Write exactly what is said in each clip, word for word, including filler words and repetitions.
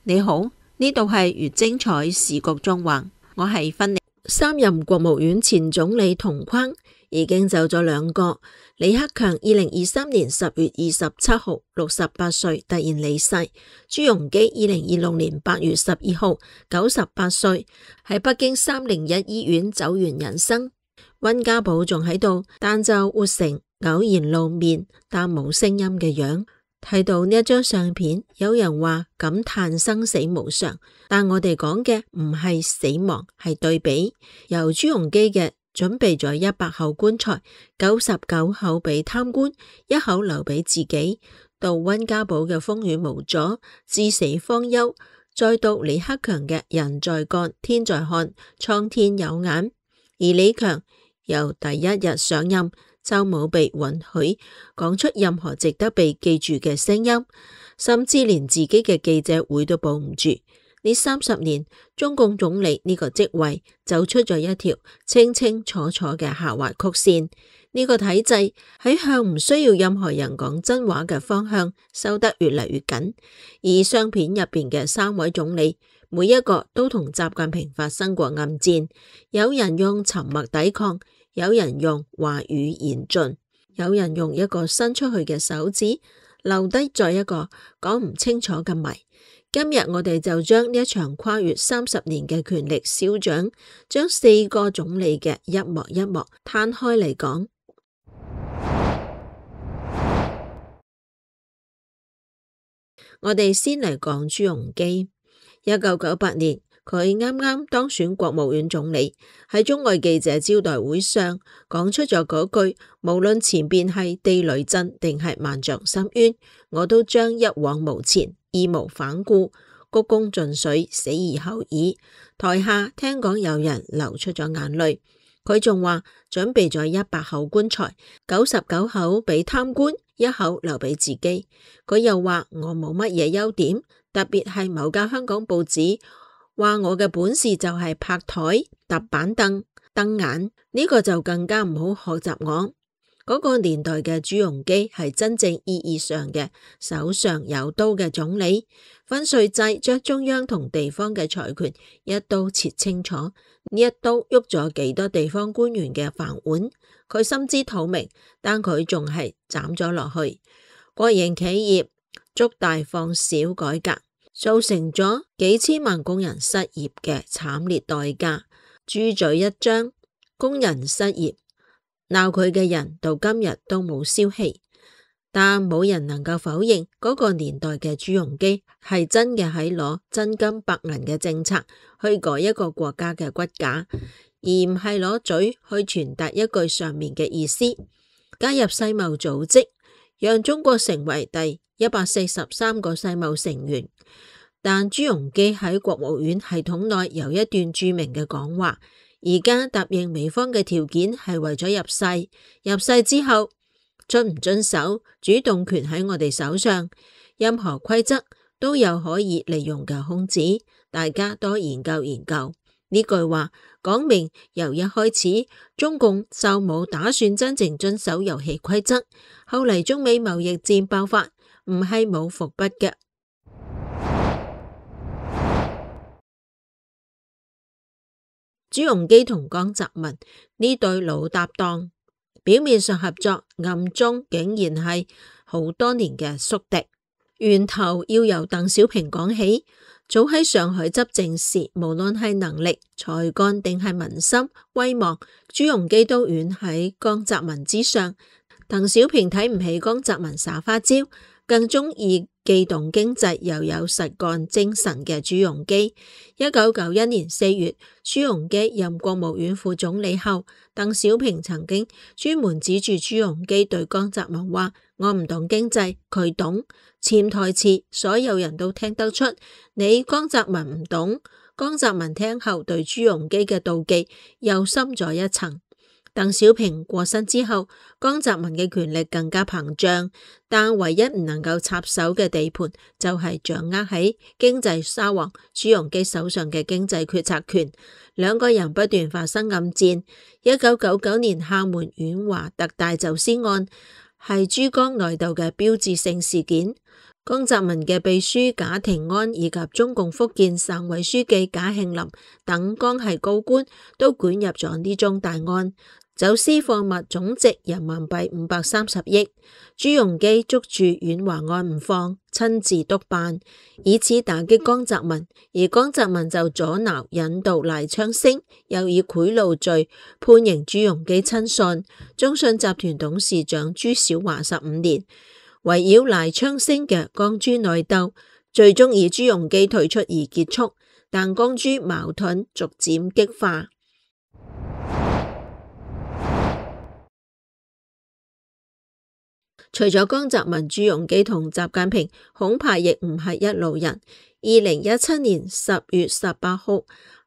你好，呢度係粵精彩時局縱橫，我係芬妮。三任國務院前總理同框已經走咗兩個。李克強二零二三年十月二十七號六十八歲突然離世，朱鎔基二零二六年八月十二號九十八歲喺北京三零一醫院走完人生。溫家寶仲喺度，但就活成偶然露面但冇聲音嘅樣。睇到呢一張相片，有人話感嘆生死無常，但我哋講嘅唔係死亡，係對比。由朱鎔基嘅準備咗一百口棺材，九十九口俾貪官，一口留俾自己，到溫家寶嘅風雨無阻，至死方休，再到李克強嘅人在幹天在看，蒼天有眼。而李強由第一日上任就冇被允許講出任何值得被記住嘅聲音，甚至連自己嘅記者會都保唔住。呢三十年，中共總理呢個職位走出咗一條清清楚楚嘅下滑曲線。呢個體制喺向唔需要任何人講真話嘅方向收得越嚟越緊。而相片入邊嘅三位總理，每一個都同習近平發生過暗戰，有人用沉默抵抗，有人用話語言盡，有人用一個伸出去嘅手指留低咗一個講唔清楚嘅謎。今日我哋就將呢一場跨越三十年嘅權力消長，將四個總理嘅一幕一幕攤開嚟講。我哋先嚟講朱鎔基。一九九八年，佢啱啱當選國務院總理，喺中外記者招待會上講出咗嗰句，無論前邊係地雷陣定係萬丈深淵，我都將一往無前，義無反顧，鞠躬盡瘁，死而後已。台下聽講有人流出咗眼淚。佢仲話準備咗一百口棺材，九十九口俾貪官，一口留俾自己。佢又話我冇乜嘢優點，特別係某家香港報紙話我嘅本事就係拍台、搭板凳、瞪眼，呢個就更加唔好學習我。嗰個年代嘅朱鎔基係真正意義上嘅手上有刀嘅總理，分稅制將中央同地方嘅財權一刀切清楚，呢一刀喐咗幾多地方官員嘅飯碗，佢心知肚明，但佢仲係斬咗落去。國營企業捉大放小改革，造成咗幾千萬工人失業嘅慘烈代價。豬嘴一張，工人失業，鬧佢嘅人到今日都冇消息，但冇人能夠否認嗰個年代嘅朱鎔基係真嘅喺攞真金白銀嘅政策去改一個國家嘅骨架，而唔係攞嘴去傳達一句上面嘅意思。加入世貿組織，讓中國成為第一百四十三個世貿成員。但朱鎔基喺國務院系統內有一段著名嘅講話，而家答應美方嘅條件係為咗入世，入世之後遵唔遵守，主動權喺我哋手上，任何規則都有可以利用嘅空子，大家多研究研究。呢句話講明由一開始中共就冇打算真正遵守遊戲規則，後嚟中美貿易戰爆發唔係冇伏筆嘅。朱鎔基同江澤民呢對老搭檔，表面上合作，暗中竟然係好多年嘅宿敵。源頭要由鄧小平講起。早喺上海執政時，無論係能力、才幹定係民心、威望，朱鎔基都遠喺江澤民之上。鄧小平睇唔起江澤民耍花招，更中意既懂經濟又有實幹精神嘅朱鎔基。一九九一年四月，朱鎔基任國務院副總理後，鄧小平曾經專門指住朱鎔基對江澤民話：我唔懂經濟，佢懂。潛台詞所有人都聽得出，你江澤民唔懂。江澤民聽後對朱鎔基嘅妒忌又深咗一層。鄧小平過身之後，江澤民嘅權力更加膨脹，但唯一唔能夠插手嘅地盤就係掌握喺經濟沙皇朱鎔基手上嘅經濟決策權。兩個人不斷發生暗戰。一九九九年廈門遠華特大走私案係珠江內鬥嘅標誌性事件。江澤民嘅秘書賈廷安以及中共福建省委書記賈慶林等江系高官都捲入咗呢宗大案，走私貨物總值人民幣五百三十億。朱鎔基捉住遠華案唔放，親自督辦，以此打擊江澤民，而江澤民就阻撓引渡賴昌星，又以賄賂罪判刑朱鎔基親信中信集團董事長朱小華十五年。圍繞賴昌星嘅江朱內鬥，最終以朱鎔基退出而結束，但江朱矛盾逐漸激化。除咗江澤民、朱鎔基同習近平，恐怕亦唔係一路人。二零一七年十月十八號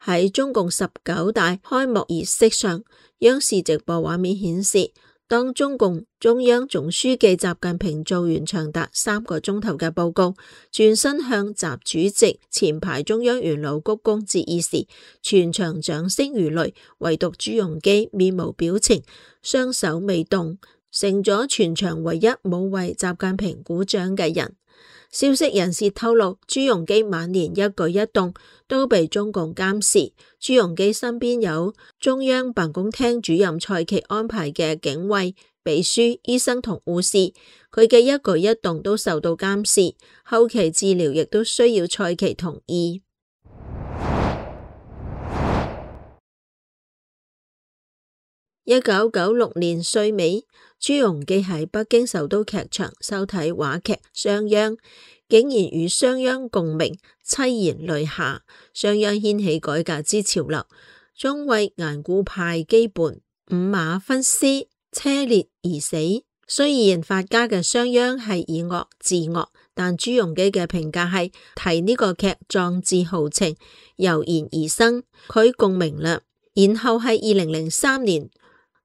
喺中共十九大開幕儀式上，央視直播畫面顯示，當中共中央總書記習近平做完長達三個鐘頭嘅報告，轉身向習主席前排中央元老鞠躬致意時，全場掌聲如雷，唯獨朱鎔基面無表情，雙手未動，成咗全場唯一冇為習近平鼓掌嘅人。消息人士透露，朱鎔基晚年一舉一動都被中共監視。朱鎔基身邊有中央辦公廳主任蔡奇安排嘅警衛、秘書、醫生同護士，佢嘅一舉一動都受到監視，後期治療亦都需要蔡奇同意。一九九六年歲尾，朱鎔基喺北京首都劇場收睇話劇《商鞅》，竟然與商鞅共鳴，淒然淚下。商鞅掀起改革之潮流，終為頑固派羈絆，五馬分屍，車裂而死。雖然法家嘅商鞅係以惡治惡，但朱鎔基嘅評價係睇呢個劇壯志豪情，油然而生，佢共鳴啦。然後係二零零三年。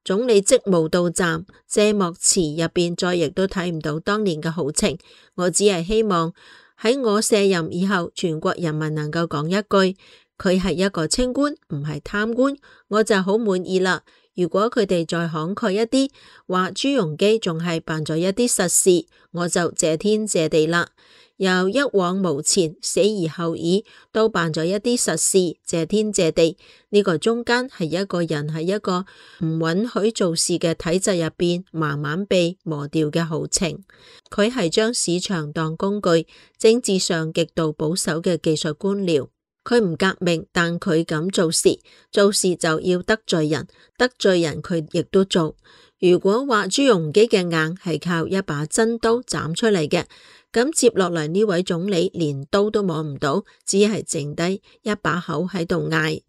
總理職務到站，謝幕詞入邊再亦都睇唔到當年嘅豪情。我只係希望喺我卸任以後，全國人民能夠講一句，佢係一個清官，唔係貪官，我就好滿意啦。如果佢哋再慷慨一啲，話朱鎔基仲係辦咗一啲實事，我就謝天謝地啦。由一往無前，死而後已，都辦咗一啲實事，謝天謝地。呢、這個中間係一個人喺一個唔允許做事嘅體制入邊，慢慢被磨掉嘅豪情。佢係將市場當工具，政治上極度保守嘅技術官僚。佢唔革命，但佢敢做事，做事就要得罪人，得罪人佢亦都做。如果話朱鎔基嘅硬係靠一把真刀斬出嚟嘅，咁接落嚟呢位總理連刀都摸唔到，只係剩低一把口喺度嗌。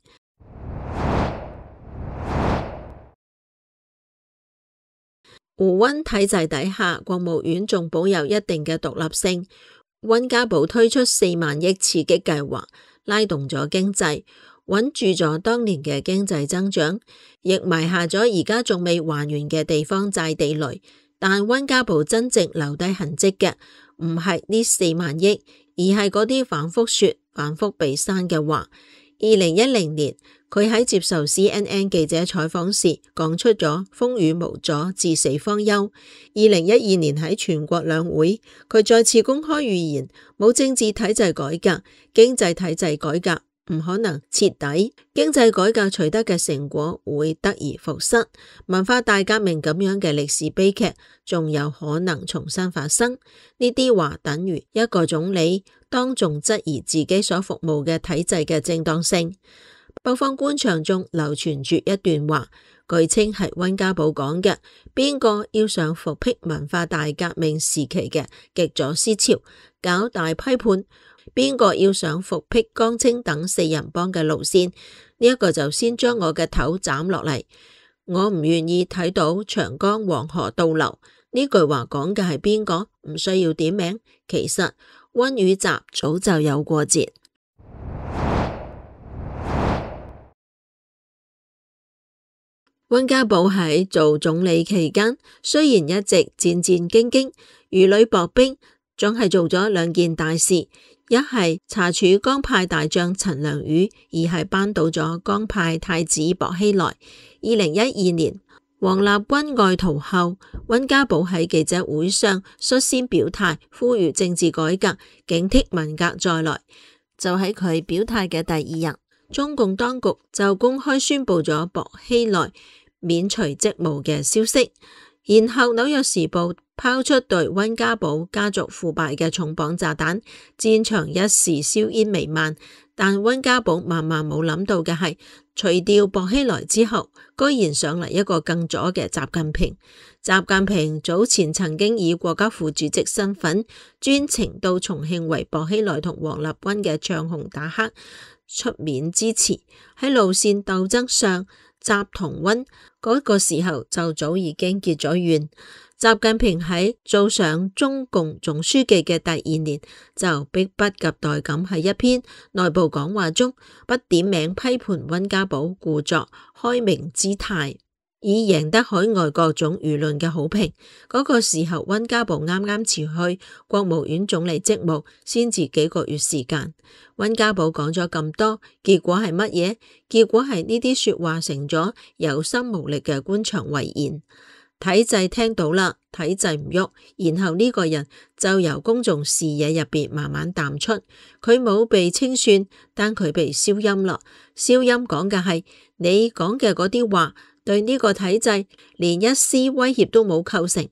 胡溫體制底下，國務院仲保有一定嘅獨立性。溫家寶推出四萬億刺激計劃，拉動咗經濟，穩住咗當年嘅經濟增長，亦埋下咗而家仲未還完嘅地方債地雷。但溫家寶真正留低痕跡嘅，唔係呢四萬億，而係嗰啲反覆說、反覆被刪嘅話。二零一零年，佢喺接受 C N N 記者採訪時，講出咗風雨無阻，至死方休。二零一二年喺全國兩會，佢再次公開預言，冇政治體制改革，經濟體制改革唔可能徹底，經濟改革取得嘅成果會得而復失，文化大革命咁樣嘅歷史悲劇仲有可能重新發生。呢啲話等於一個總理當眾質疑自己所服務嘅體制嘅正當性。北方官場中流傳住一段話，據稱係溫家寶講嘅：邊個要上復辟文化大革命時期嘅極左思潮，搞大批判，邊個要上復辟江青等四人幫嘅路線，呢一個就先將我嘅頭斬落嚟。我唔願意睇到長江黃河倒流。呢句話講嘅係邊個？唔需要點名，其實溫與習早就有過節。溫家寶喺做總理期間，雖然一直戰戰兢兢、如履薄冰，總係做咗兩件大事：一係查處江派大將陳良宇，二係扳倒咗江派太子薄熙來。二零一二年，王立軍外逃後，溫家寶喺記者會上率先表態，呼籲政治改革，警惕文革再來。就喺佢表態嘅第二日，中共當局就公開宣布咗薄熙來免除職務嘅消息。然後紐約時報拋出對溫家寶家族腐敗嘅重磅炸彈，戰場一時硝煙彌漫。但溫家寶萬萬冇諗到嘅係，除掉薄熙來之後，居然上嚟一個更左嘅習近平。習近平早前曾經以國家副主席身份專程到重慶為薄熙來同王立軍嘅唱紅打黑出面支持。喺路線鬥爭上，習同溫嗰個時候就早已經結咗怨。習近平喺做上中共總書記嘅第二年，就迫不及待咁喺一篇內部講話中，不點名批判溫家寶故作開明姿態，以贏得海外各種輿論嘅好評。嗰、那個時候，溫家寶啱啱辭去國務院總理職務，先至幾個月時間。溫家寶講咗咁多，結果係乜嘢？結果係呢啲說話成咗有心無力嘅官場遺言。體制聽到啦，體制唔喐，然後呢個人就由公眾視野入邊慢慢淡出。佢冇被清算，但佢被消音啦。消音講嘅係你講嘅嗰啲話，對呢個體制連一絲威脅都冇構成。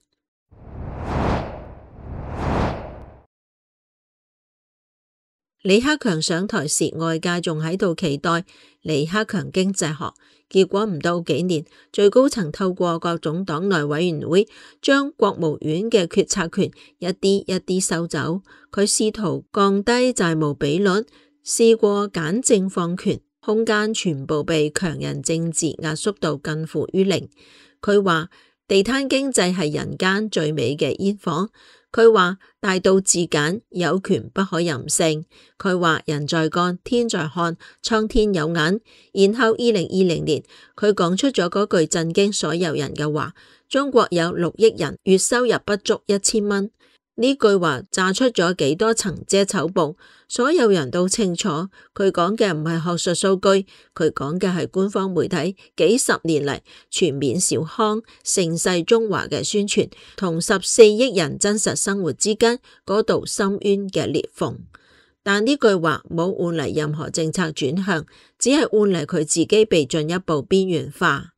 李克強上台時，外界仲喺度期待李克強經濟學，結果唔到幾年，最高層透過各種黨內委員會，將國務院嘅決策權一啲一啲收走。佢試圖降低債務比率，試過簡政放權，空間全部被強人政治壓縮到近乎於零。佢話地攤經濟係人間最美嘅煙火。佢話大道至簡，有權不可任性。佢話人在幹，天在看，蒼天有眼。然後二零二零年，佢講出咗嗰句震驚所有人嘅話：中國有六億人，月收入不足一千蚊。呢句話炸出咗幾多層遮醜布，所有人都清楚，佢講嘅唔係學術數據，佢講嘅係官方媒體幾十年嚟全面小康盛世中華嘅宣傳，同十四億人真實生活之間嗰道深淵嘅裂縫。但呢句話冇換嚟任何政策轉向，只係換嚟佢自己被進一步邊緣化。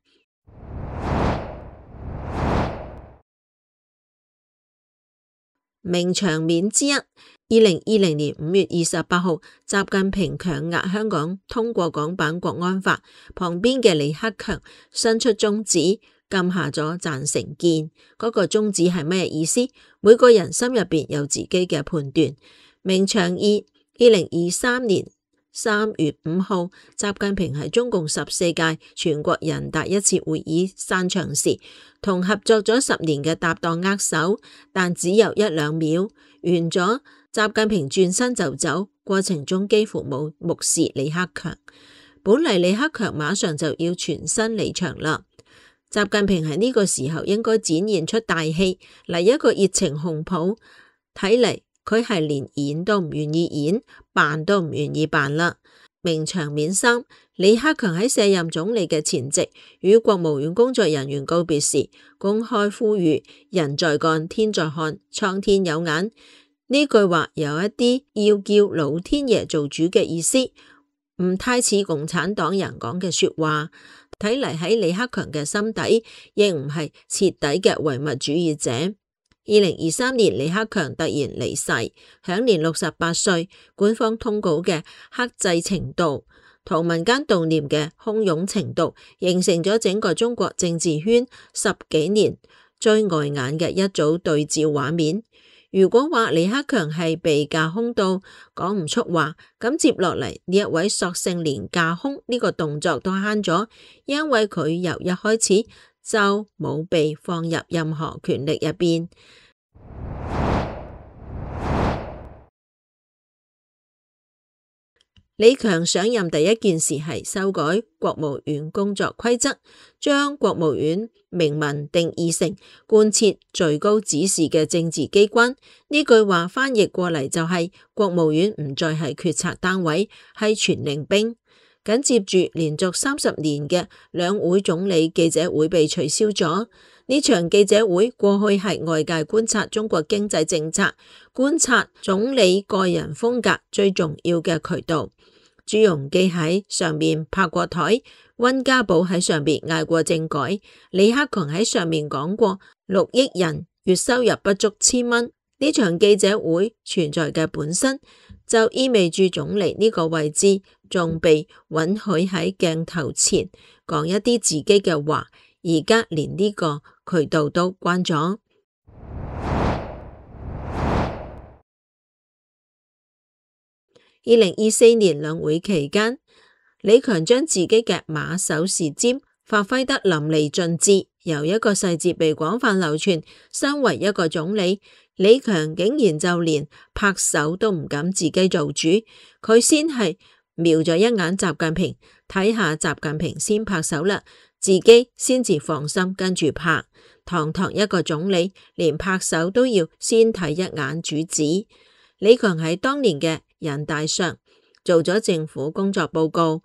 名場面之一，二零二零年五月二十八號，習近平強壓香港通過港版國安法，旁邊嘅李克強伸出中指，撳下咗贊成鍵。嗰、那個中指係咩意思？每個人心入邊有自己嘅判斷。名場二，二零二三年三月五號，習近平喺中共十四屆全國人大一次會議散場時，同合作咗十年嘅搭檔握手，但只有一兩秒，完咗，習近平轉身就走，過程中幾乎冇目視李克強。本嚟李克強馬上就要全身離場啦，習近平喺呢個時候應該展現出大氣嚟，一個熱情紅抱，睇嚟佢係連演都唔願意演，扮都唔願意扮啦。名場面三，李克強喺卸任總理嘅前夕，與國務院工作人員告別時，公開呼籲人在幹，天在看，蒼天有眼。呢句話有一啲要叫老天爺做主嘅意思，唔太似共產黨人講嘅說話。睇嚟喺李克強嘅心底，亦唔係徹底嘅唯物主義者。二零二三年，李克強突然離世，享年六十八歲。官方通稿嘅克制程度同民間悼念嘅洶湧程度，形成咗整個中國政治圈十幾年最礙眼嘅一組對照畫面。如果話李克強係被架空到講唔出話，咁接落嚟呢一位索性連架空呢個動作都慳咗，因為佢由一開始就冇被放入任何權力入邊。李強上任第一件事係修改國務院工作規則，將國務院明文定義成貫徹最高指示嘅政治機關。呢句話翻譯過嚟就係、是、國務院唔再係決策單位，係傳令兵。繼緊接住連續三十年嘅兩會總理記者會被取消咗。呢場記者會過去係外界觀察中國經濟政策、觀察總理個人風格最重要嘅渠道。朱鎔基喺上面拍過台，溫家寶喺上面嗌過政改，李克強喺上面講過六億人月收入不足千蚊。呢場記者會存在嘅本身就意味住總理呢個位置仲被允許喺鏡頭前講一啲自己嘅話，而家連呢個渠道都關咗。二零二四年兩會期間，李強將自己嘅馬首是瞻發揮得淋漓盡致，由一個細節被廣泛流傳，身為一個總理，李強竟然就連拍手都唔敢自己做主，佢先係瞄咗一眼習近平，睇下習近平先拍手啦，自己先至放心跟住拍。堂堂一個總理，連拍手都要先睇一眼主子。李強喺當年嘅人大上做咗政府工作報告，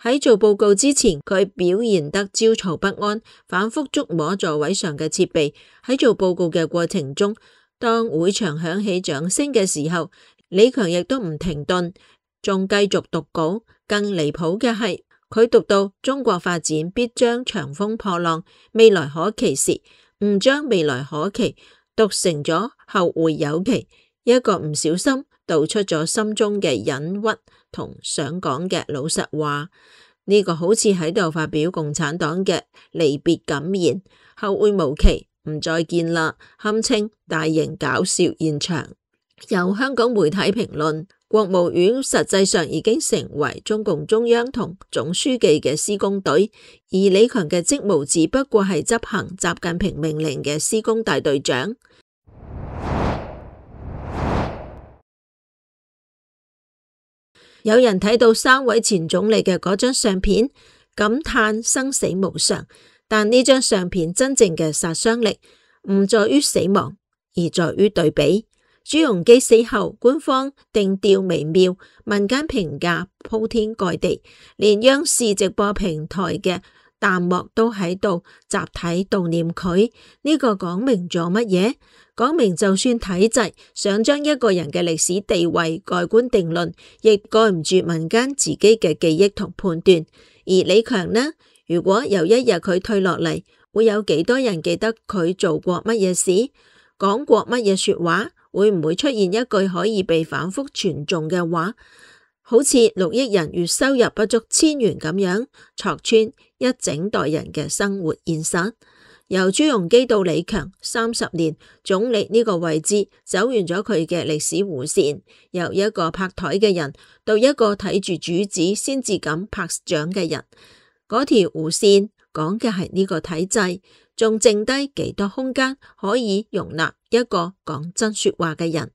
喺做報告之前，佢表現得焦躁不安，反覆觸摸座位上嘅設備。喺做報告嘅過程中，當會場響起掌聲嘅時候，李強亦都唔停頓，仲繼續讀稿。更離譜嘅係，佢讀到中國發展必將長風破浪，未來可期時，唔將未來可期讀成咗後會有期，一個唔小心道出咗心中嘅隱鬱同想講嘅老實話。呢、這個好似喺度發表共產黨嘅離別感言，後會無期，唔再見啦，堪稱大型搞笑現場。有香港媒體評論，國務院實際上已經成為中共中央同總書記嘅施工隊，而李強嘅職務只不過係執行習近平命令嘅施工大隊長。有人睇到三位前總理嘅嗰張相片，感嘆生死無常，但呢張相片真正嘅殺傷力唔在於死亡，而在於對比。朱鎔基死後，官方定調微妙，民間評價鋪天蓋地，連央視直播平台嘅彈幕都喺度集體悼念佢。呢、這個講明咗乜嘢？講明就算體制想將一個人嘅歷史地位蓋棺定論，亦蓋唔住民間自己嘅記憶同判斷。而李強呢？如果有一日佢退落嚟，會有幾多人記得佢做過乜嘢事，講過乜嘢說話？會唔會出現一句可以被反覆傳頌嘅話，好似六億人月收入不足千元咁樣，戳穿一整代人嘅生活現實？由朱鎔基到李強三十年，總理呢個位置走完咗佢嘅歷史弧線，由一個拍台嘅人到一個睇住主子先至敢拍掌嘅人，嗰條弧線講嘅係呢個體制，仲剩低幾多空間可以容納一個講真說話嘅人？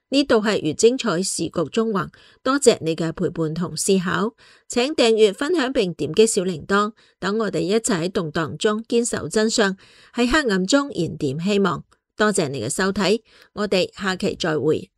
呢度係粵精彩時局中橫，多謝你嘅陪伴同思考，請訂閱、分享並點擊小鈴鐺，等我哋一齊喺動盪中堅守真相，喺黑暗中燃點希望。多謝你嘅收睇，我哋下期再會。